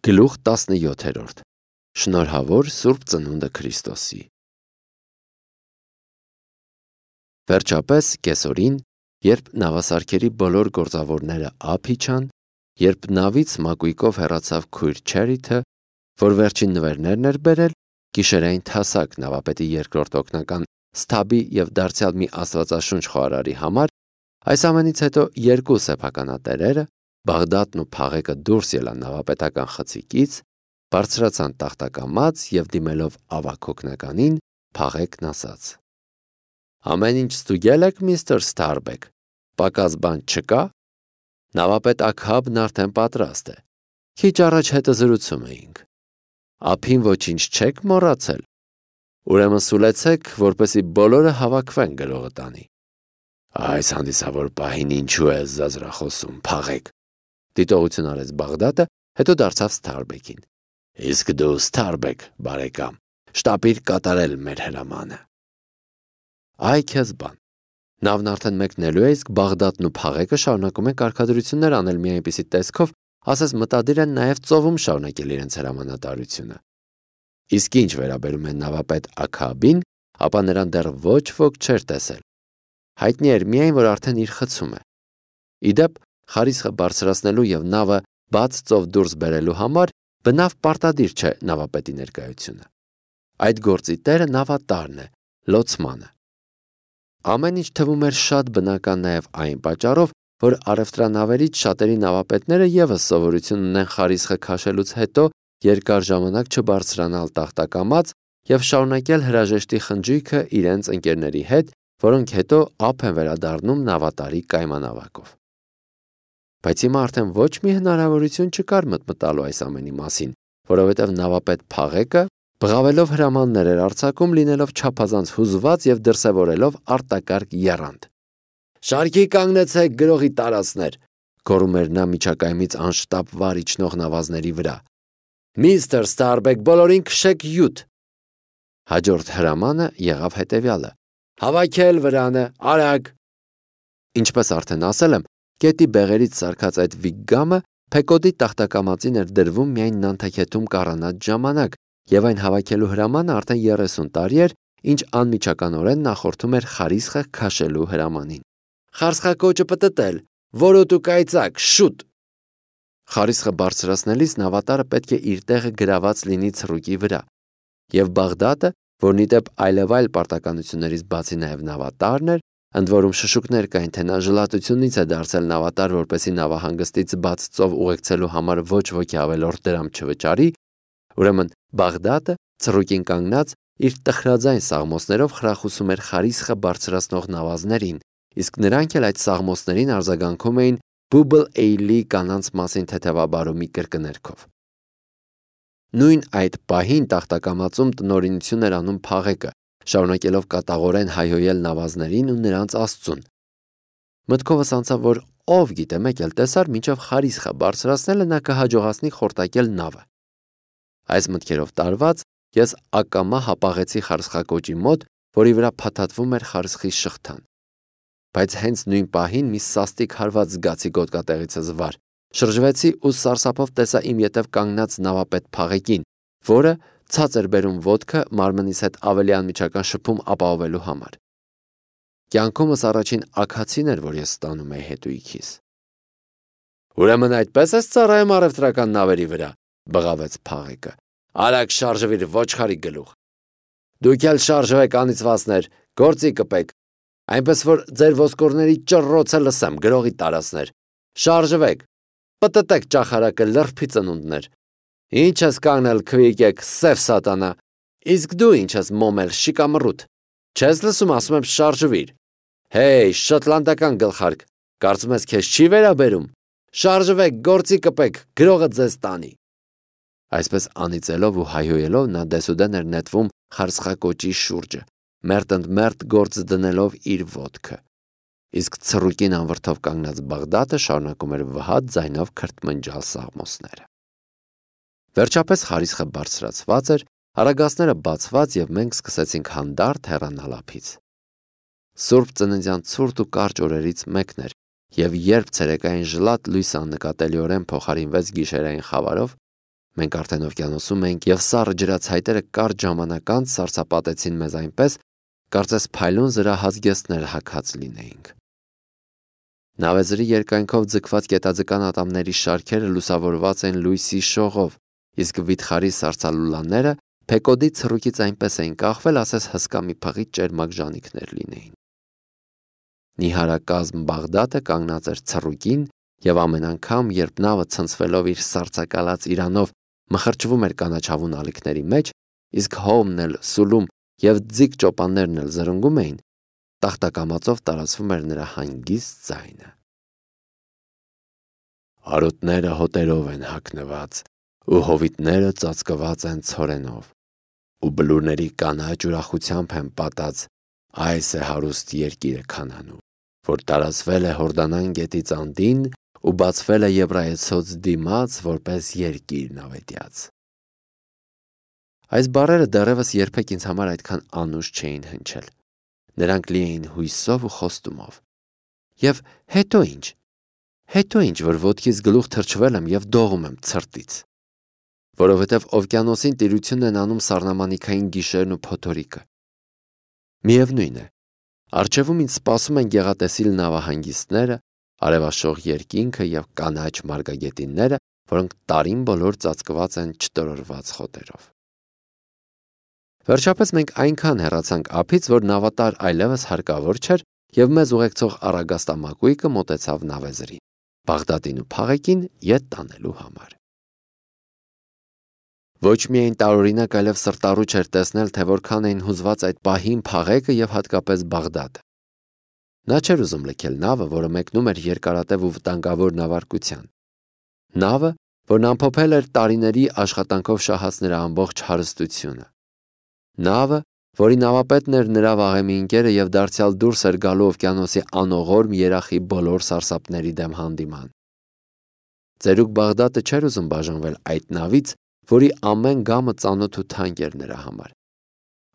Գլուխ 17 Շնորհավոր Սուրբ Ծնունդը Քրիստոսի։ Վերջապես կեսօրին, երբ նավասարքերի բոլոր գործավորները ափ իջան, երբ նավից մակույկով հեռացավ քույր Չերիթը, որ վերջին նվերներն էր բերել, գիշերային թասակ նավապետի երկրորդ օգնական Սթաբի և դարձյալ մի աստվածաշունչ խոհարարի համար, այս ամենից հետո երկու սեփականատերերը, Բաղդադն ու Փաղեկը դուրս ելան նավապետական խցիկից, բարձրացան տախտակամած և դիմելով ավագ օգնականին, Փաղեկն ասաց. «Ամեն ինչ ստուգել եք, միստր Սթարբեք, պակաս բան չկա»։ Նավապետ Աքհաբն արդեն պատրաստ է։ Քիչ առաջ հետզրուցում էինք։ Ափին ոչինչ չեք մոռացել։ Ուրեմն սուլեցեք, որպեսզի բոլորը հավաքվեն գրողը տանի։ Այս հանդիսավոր պահին ինչու է զազրախոսում, Փաղեկ, դիտողություն արեց Բաղդադը, հետո դարձավ Սթարբեկին։ Իսկ դու, Սթարբեք, բարեկամ, շտապիր կատարել մեր հրամանը։ Այ քեզ բան։ Նավն արդեն մեկնելու է, իսկ Բաղդադն ու Փաղեկը շարունակում են կարգադրություններ անել մի այնպիսի տեսքով, ասես մտադիր են նաև ծովում շարունակել իրենց հրամանատարությունը։ Իսկ ինչ վերաբերում է նավապետ Աքհաբին, ապա նրան դեռ ոչ ոք չէր տեսել։ Հայտնի էր միայն, որ արդեն իր խցում է։ Իդեպ, խարիսխը բարձրացնելու և նավը բաց ծով դուրս բերելու համար բնավ պարտադիր չէ նավապետի ներկայությունը։ Այդ գործի տերը նավատարն է, լոցմանը։ Ամեն ինչ թվում էր շատ բնական նաև այն պատճառով, որ առևտրանավերից շատերի նավապետները ևս սովորություն ունեն խարիսխը քաշելուց հետո երկար ժամանակ չբարձրանալ տախտակամած և շարունակել հրաժեշտի խնջույքը իրենց ընկերների հետ, որոնք հետո ափ են վերադառնում նավատարի կայմանավակով։ Բայց հիմա արդեն ոչ մի հնարավորություն չկար մտմտալու այս ամենի մասին, որովհետև նավապետ Փաղեկը բղավելով հրամաններ էր արձակում, լինելով չափազանց հուզված և դրսևորելով արտակարգ եռանդ։ «Շարքի կանգնեցեք, գրողի տարածներ», գոռում էր նա միջակայմից անշտապ վար իջնող նավազների վրա։ «Միստր Սթարբեք, բոլորին քշեք յուտ»։ Հաջորդ հրամանը եղավ հետևյալը. «Հավաքել վրանը, արագ»։ Ինչպես արդեն ասել եմ, գետի բեղերից սարքած այդ վիգգամը Փեկոդի տախտակամածին էր դրվում միայն նանթաքեթում կառանած ժամանակ, և այն հավաքելու հրամանը արդեն 30 տարի էր, ինչ անմիջականորեն նախորդում էր խարիսխը քաշելու հրամանին։ «Խարսխակոճը պտտել, որոտ ու կայծակ, շուտ»։ Խարիսխը բարձրացնելիս նավատարը պետք է իր տեղը գրաված լինի ցռուկի վրա, և Բաղդադը, որն ի դեպ այլևայլ պարտականություններից բացի նաև նավատարն էր, ընդ որում շշուկներ կային, թե նա ժլատությունից է դարձել նավատար, որպեսզի նավահանգստից բաց ծով ուղեկցելու համար ոչ ոքի ավելորդ դրամ չվճարի, ուրեմն Բաղդադը, ցռուկին կանգնած, իր տխրաձայն սաղմոսներով խրախուսում էր խարիսխը բարձրացնող նավազներին, իսկ նրանք էլ այդ սաղմոսներին արձագանքում էին Բուբլ Էյլի կանանց մասին թեթևաբարոմի կրկներգով։ Նույն այդ պահին տախտակամածում տնօրինություն էր անում Փաղեկը, շարունակելով կատաղորեն հայհոյել նավազներին ու նրանց Աստծուն։ Մտքովս անցավ, որ ով գիտե մեկ էլ տեսար, մինչև խարիսխը բարձրացնելը նա կհաջողացնի խորտակել նավը։ Այս մտքերով տարված, ես ակամա հապաղեցի խարսխակոճի մոտ, որի վրա փաթաթվում էր խարսխի շղթան։ Բայց հենց նույն պահին մի սաստիկ հարված զգացի գոտկատեղիցս վար, շրջվեցի ու սարսափով տեսա իմ ետև կանգնած նավապետ Փաղեկին, որը ցած էր բերում ոտքը մարմնիս հետ ավելի անմիջական շփում ապահովելու համար։ Կյանքումս առաջին աքացին էր, որ ես ստանում էի հետույքիս։ «Ուրեմն այդպես ես ծառայում առևտրական նավերի վրա», բղավեց Փաղեկը։ «Արագ շարժվիր, ոչխարի գլուխ։ Դուք էլ շարժվեք, անիծվածներ, գործի կպեք, այնպես որ ձեր ոսկորների ճռռոցը լսեմ, գրողի տարածներ։ Շարժվեք, պտտեք ճախարակը, լրբի ծնունդներ։ Ինչ ես կանգնել, քվիկեք, սև սատանա։ Իսկ դու ինչ ես մոմել, շիկամռութ։ Չես լսում, ասում եմ շարժվիր։ Հեյ, շոտլանդական գլխարկ, կարծում ես քեզ չի վերաբերում։ Շարժվեք, գործի կպեք, գրողը ձեզ տանի։ Այսպես անիծելով ու հայհոյելով նա դեսուդեն էր նետվում խարսխակոճի շուրջը, մերթընդմերթ գործ դնելով իր ոտքը։ Իսկ ցռուկին անվրդով կանգնած Բաղդադը շարունակում էր վհատ ձայնով քրթմնջալ սաղմոսները։ Վերջապես խարիսխը բարձրացված էր, արագածները բացված և մենք սկսեցինք հանդարտ հեռանալ ափից։ Սուրբ ծննդյան ցուրտ ու կարճ օրերից մեկն էր, և երբ ցերեկային ժլատ լույսը աննկատելիորեն փոխարինվեց գիշերային խավարով, Մենք արդեն օվկիանոսում էինք և սառը ջրացայտերը կարճ ժամանակ անց սառցապատեցին մեզ այնպես, կարծես փայլուն զրահազգեստներ հագած լինեինք։ Նավեզրի երկայնքով ձգված կետաձկան ատամների շարքերը լուսավորված են լույսի շողով, իսկ վիթխարի սառցալուլաները փեկոդի ցռուկից այնպես էին կախվել, ասես հսկա մի փղի ճերմակ ժանիքներ լինեին։ Նիհարակազմ Բաղդադը կանգնած էր ցռուկին և ամեն անգամ, երբ նավը ցնցվելով իր սառցակալած իրանով մխրճվում էր կանաչավուն ալիքների մեջ, իսկ հողմն էլ սուլում և ձիգ ճոպաններն էլ զրնգում էին, տախտակամածով տարածվում էր նրա հանգիստ ձայնը։ Արոտները հոտերով են հագնված, ու հովիտները ծածկված են ցորենով, ու բլուրների կանաչ ուրախությամբ են պատած, այս է հարուստ երկիրը Քանանում, որ տարածվել է Հորդանան գետից անդին ու բացվել է Եբրայեցոց դիմաց որպես երկիր նավետյաց։ Այս բառերը դեռևս երբեք ինձ համար այդքան անուշ չէին հնչել։ Նրանք լի էին հույսով ու խոստումով։ Եվ հետո ինչ, որ ոտքից գլուխ թրջվել եմ և դողում եմ ցրտից։ Որովհետև օվկիանոսին տիրություն են անում սառնամանիքային գիշերն ու փոթորիկը։ Միևնույն է, առջևում ինձ սպասում են գեղատեսիլ նավահանգիստները, արևաշող երկինքը և կանաչ մարգագետինները, որոնք տարին բոլոր ծածկված են չտորորված խոտերով։ Վերջապես մենք այնքան հեռացանք ափից, որ նավատար այլևս հարկավոր չէր և մեզ ուղեկցող առագաստամակույկը մոտեցավ նավեզրին, Բաղդադին ու փաղեկին ետ տանելու համար։ Ոչ միայն տարօրինակ, այլև սրտառուչ էր տեսնել, թե որքան էին հուզված այդ պահին փաղեկը և հատկապես Բաղդադը։ Նա չէր ուզում լքել նավը, որը մեկնում էր երկարատև ու վտանգավոր նավարկության։ Նավը, որն ամփոփել էր տարիների աշխատանքով շահած նրա ամբողջ հարստությունը։ Նավը, որի նավապետն էր նրա վաղեմի ընկերը և դարձյալ դուրս էր գալու օվկիանոսի անողորմ երախի բոլոր սարսափների դեմ հանդիման։ Ծերուկ Բաղդադը չէր ուզում բաժանվել այդ նավից, որի ամեն գամը ծանոթ ու թանկ էր նրա համար։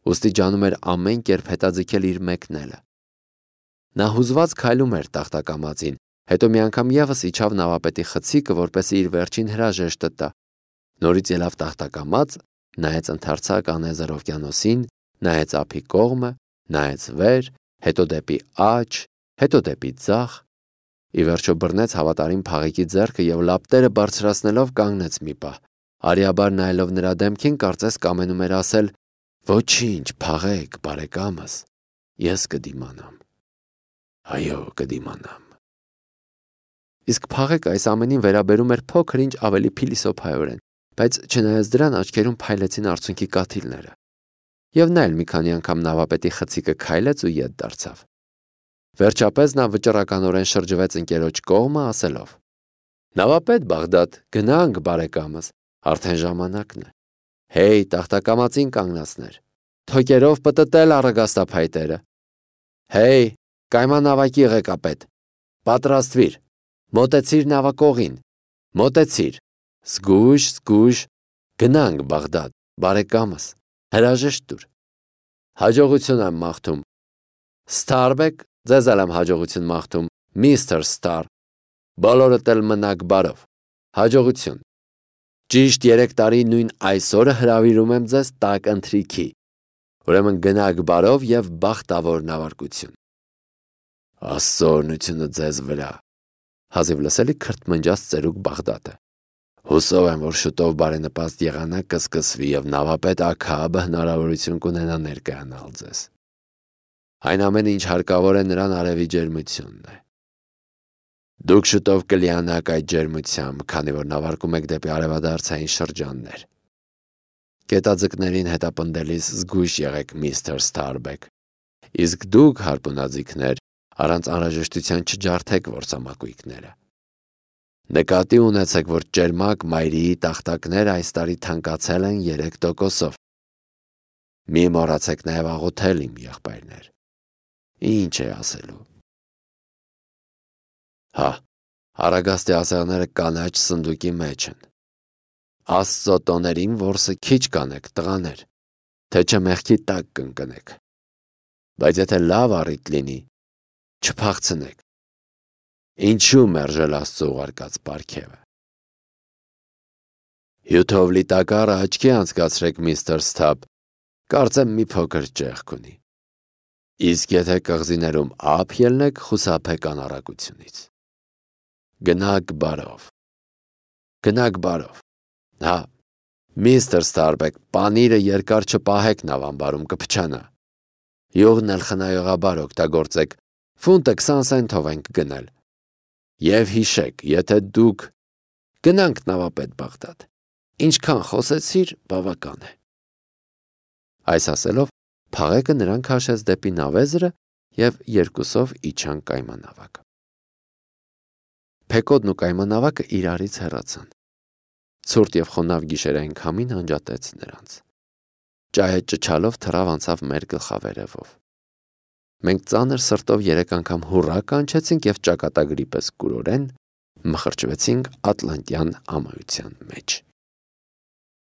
Ուստի ջանում էր ամեն կերպ հետաձգել իր մեկնելը։ Նա հուզված քայլում էր տախտակամածին, հետո մի անգամ ևս իջավ նավապետի խցիկը, որպեսզի իր վերջին հրաժեշտը տա։ Նորից ելավ տախտակամած, նայեց ընդարձակ անեզր օվկիանոսին, նայեց ափի կողմը, նայեց վեր, հետո դեպի աջ, հետո դեպի ձախ, ի վերջո բռնեց հավատարիմ փաղեկի ձեռքը և լապտերը բարձրացնելով կանգնեց մի պահ, արիաբար նայելով նրա դեմքին, կարծես կամենում էր ասել. «Ոչինչ, Փաղեկ, բարեկամս, ես կդիմանամ, այո, կդիմանամ»։ Իսկ Փաղեկը այս ամենին վերաբերում էր փոքր-ինչ ավելի փիլիսոփայորեն, բայց չնայած դրան աչքերում փայլեցին արցունքի կաթիլները։ Եվ նա էլ մի քանի անգամ նավապետի խցիկը քայլեց ու ետ դարձավ։ Վերջապես նա վճռականորեն շրջվեց ընկերոջ կողմը, ասելով. «Նավապետ Բաղդադ, գնանք, բարեկամս, արդեն ժամանակն է։ Հեյ, տախտակամածին կանգնածներ, թոկերով պտտել առագաստափայտերը։ Հեյ, կայմանավակի ղեկապետ, պատրաստվիր, մոտեցիր նավակողին, մոտեցիր, զգույշ, գնանք, Բաղդադ, բարեկամս, հրաժեշտ տուր։ Հաջողություն եմ մաղթում։ Ստարբեք, ձեզ էլ եմ հաջողություն մաղթում, միստր Ստար, բոլորդ էլ մնաք բարով, հաջողություն։ Ճիշտ 3 տարի նույն այսօրը հրավիրում եմ ձեզ տաք ընթրիքի, ուրեմն գնաք բարով և բախտավոր նավարկություն։ Աստծո օրհնությունը ձեզ վրա, հազիվ լսելի քրթմնջաց ծերուկ Բաղդադը։ Հուսով եմ, որ շուտով բարենպաստ եղանակ կսկսվի և նավապետ Աքաբը հնարավորություն կունենա ներկայանալ ձեզ։ Այն ամենը, ինչ հարկավոր է նրան արևի ջերմությունն է։ Դուք շուտով կլիանաք այդ ջերմությամբ, քանի որ նավարկում եք դեպի արևադարձային շրջաններ։ Կետաձկներին հետապնդելիս զգույշ եղեք, միստր Ստարբեք։ Իսկ դուք, հարպունաձիգներ, առանց անհրաժեշտության չջարդեք որսամակույկները։ Նկատի ունեցեք, որ ճերմակ մայրիի տախտակները այս տարի թանկացել են 3%-ով։ Մի մոռացեք նաև աղոթել, իմ եղբայրներ։ Ինչ է ասելու։ Հա, առագաստի ասեղները կանաչ սնդուկի մեջ են։ Աստծո տոներին որսը քիչ կանեք, տղաներ, թե չէ մեղքի տակ կընկնեք։ Բայց եթե լավ առիթ լինի, չփախցնեք։ Ինչու մերժել Աստծո ուղարկած պարգևը։ Հյութով լի տակառը աչքի անցկացրեք, միստր Սթափ, կարծեմ մի փոքր ճեղք ունի։ Իսկ եթե կղզիներում ափ ելնեք, խուսափեք անառակությունից։ Գնաք բարով։ Գնաք բարով։ Հա, միստր Ստարբեք, պանիրը երկար չպահեք նավամբարում, կփչանա։ Յուղն էլ խնայողաբար օգտագործեք, ֆունտը 20 սենթով ենք գնել։ Եվ հիշեք, եթե դուք գնանք նավապետ Բաղդադ, ինչքան խոսեցիր, բավական է։ Այս ասելով, Փաղեկը նրան քաշեց դեպի նավեզրը և երկուսով իջան կայմանավակը։ Փեկոդն ու կայմանավակը իրարից հեռացան։ Ցուրտ և խոնավ գիշերային քամին անջատեց նրանց։ Ջահը ճչալով թռավ անցավ մեր գլխավերևով։ Մենք ծանր սրտով 3 անգամ հուռա կանչեցինք և ճակատագրի պես կուրորեն մխրճվեցինք Ատլանտյան ամայության մեջ։